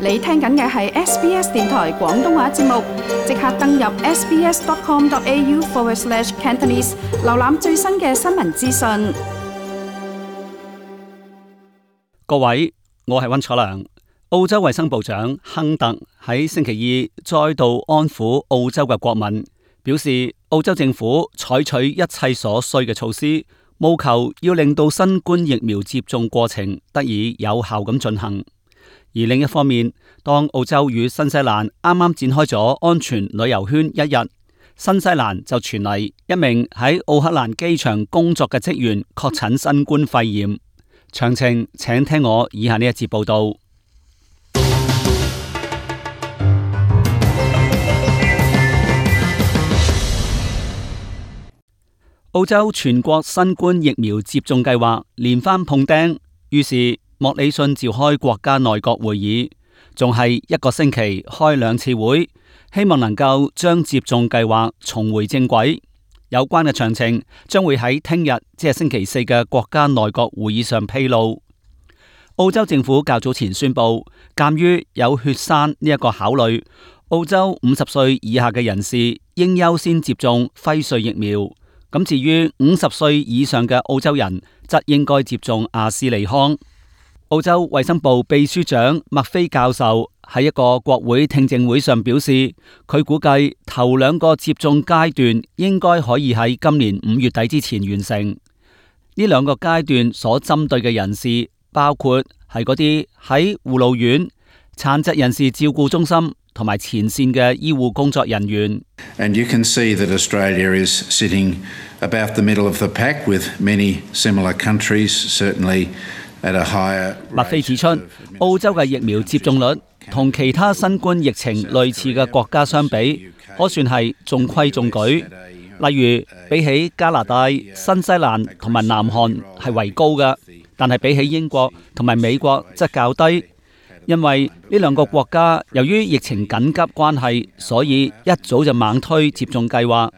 你聽緊嘅係 SBS 電台廣東話節目，即刻登入 sbs.com.au/cantonese 瀏覽最新嘅新聞資訊。各位，我係溫楚良。澳洲衛生部長亨特喺星期二再度安撫澳洲嘅國民，表示澳洲政府採取一切所需嘅措施，務求要令到新冠疫苗接種過程得以有效咁進行。而另一方面，當澳洲與新西蘭啱啱展開咗安全旅遊圈一日，新西蘭就傳嚟一名喺奧克蘭機場工作嘅職員確診新冠肺炎。詳情請聽我以下呢一節報道。澳洲全國新冠疫苗接種計劃連番碰釘，於是莫里遜召開國家內閣會議，仲係一個星期開2次會，希望能夠將接種計劃重回正軌。有關嘅詳情將會喺聽日，即係星期四嘅國家內閣會議上披露。澳洲政府較早前宣布，鑒於有血栓呢一個考慮，澳洲50歲以下嘅人士應優先接種輝瑞疫苗。咁至於50歲以上嘅澳洲人，則應該接種阿斯利康。澳洲衛生部秘書長麥菲教授喺一個國會聽證會上表示，佢估計頭2個接種階段應該可以喺今年5月底之前完成。呢2個階段所針對嘅人士，包括係嗰啲喺護老院、殘疾人士照顧中心同埋前線嘅醫護工作人員。And you can see that Australia is sitting about the middle of the pack with many similar countries, certainly at a higher rate. 麥菲指出，澳洲嘅疫苗接種率同其他新冠疫情類似嘅國家相比，可算係中規中矩。例如，比起加拿大、新西蘭同埋南韓係為高嘅，但係比起英國同埋美國則較低。因為呢2個國家由於疫情緊急關係，所以一早就猛推接種計劃。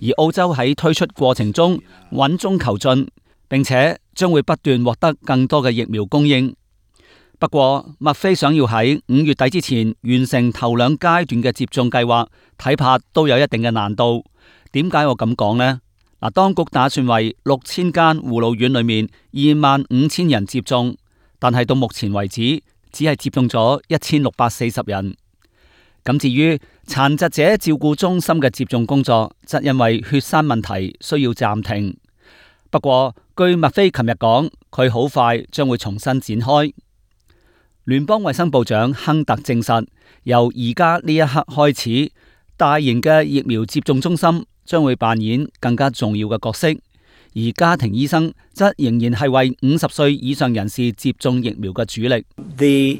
而澳洲喺推出過程中穩中求進，並且將會不斷獲得更多嘅疫苗供應。不過，麥菲想要喺5月底之前完成頭2階段嘅接種計劃，睇怕都有一定嘅難度。點解我咁講呢？當局打算為6000間護老院裏面25000人接種，但係到目前為止，只係接種咗1640人。咁至於殘疾者照顧中心嘅接種工作，則因為血栓問題需要暫停。不過，據麥菲琴日講，佢好快將會重新展開。聯邦衛生部長亨特證實，由而家呢一刻開始，大型嘅疫苗接種中心將會扮演更加重要嘅角色，而家庭醫生則仍然係為50歲以上人士接種疫苗嘅主力。The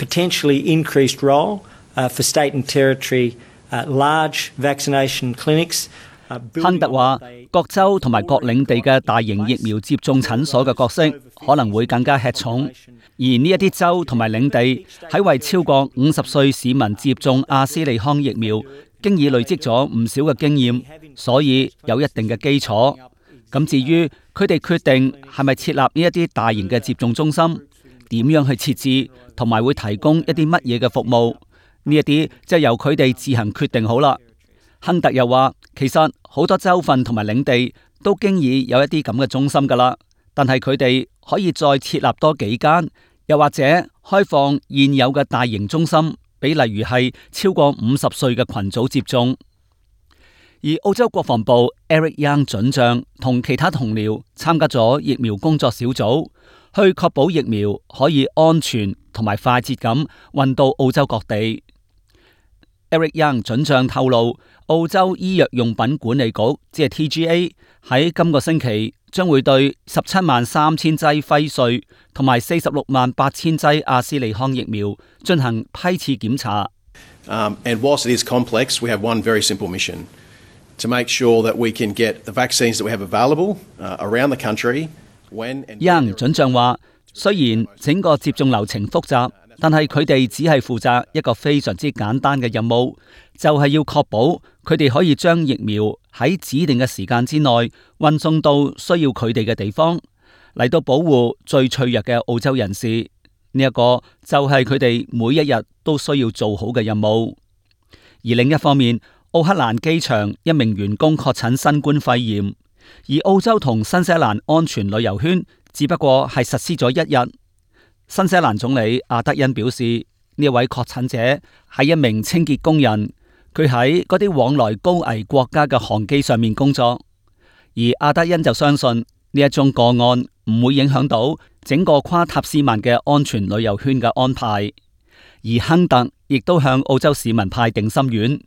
potentially increased role for state and territory large vaccination clinics。亨特話，各州同埋各領地嘅大型疫苗接種診所嘅角色可能會更加吃重，而呢一啲州同埋領地喺為超過50歲市民接種阿斯利康疫苗，經已累積咗唔少嘅經驗，所以有一定嘅基礎。咁至於佢哋決定係咪設立呢一啲大型嘅接種中心，點樣去設置，同埋會提供一啲乜嘢嘅服務，呢一啲就由佢哋自行決定好啦。亨特又話，其實好多州份同埋領地都經已有一啲咁嘅中心噶啦，但係佢哋可以再設立多幾間，又或者開放現有嘅大型中心，俾例如係超過50歲嘅群組接種。而澳洲國防部 Eric Young 准將同其他同僚參加咗疫苗工作小組，去確保疫苗可以安全同埋快捷咁運到澳洲各地。Eric Young 准將透露，澳洲醫藥用品管理局即係 TGA 喺今個星期將會對173000劑輝瑞同埋468000劑阿斯利康疫苗進行批次檢查。And whilst it is complex, we have one very simple mission to make sure that we can get the vaccines that we have available around the country when and Young 准將話，雖然整個接種流程複雜，但係佢哋只係負責一個非常之簡單嘅任務，就係要確保佢哋可以將疫苗喺指定嘅時間之內運送到需要佢哋嘅地方，嚟到保護最脆弱嘅澳洲人士。呢一個就係佢哋每一日都需要做好嘅任務。而另一方面，奧克蘭機場一名員工確診新冠肺炎，而澳洲同新西蘭安全旅遊圈只不過係實施咗1日。新西蘭總理阿德恩表示，呢位確診者係一名清潔工人，佢喺嗰啲往來高危國家嘅航機上面工作。而阿德恩就相信呢一宗個案唔會影響到整個跨塔斯曼嘅安全旅遊圈嘅安排。而亨特亦都向澳洲市民派定心丸，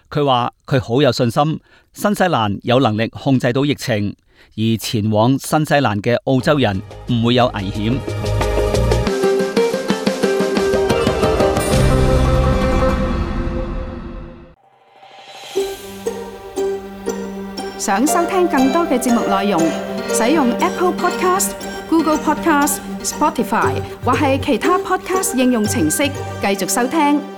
佢話佢好有信心新西蘭有能力控制到疫情，而前往新西蘭嘅澳洲人唔會有危險。想收聽更多嘅節目內容，使用 Apple Podcast、Google Podcast、Spotify 或係其他 Podcast 應用程式繼續收聽。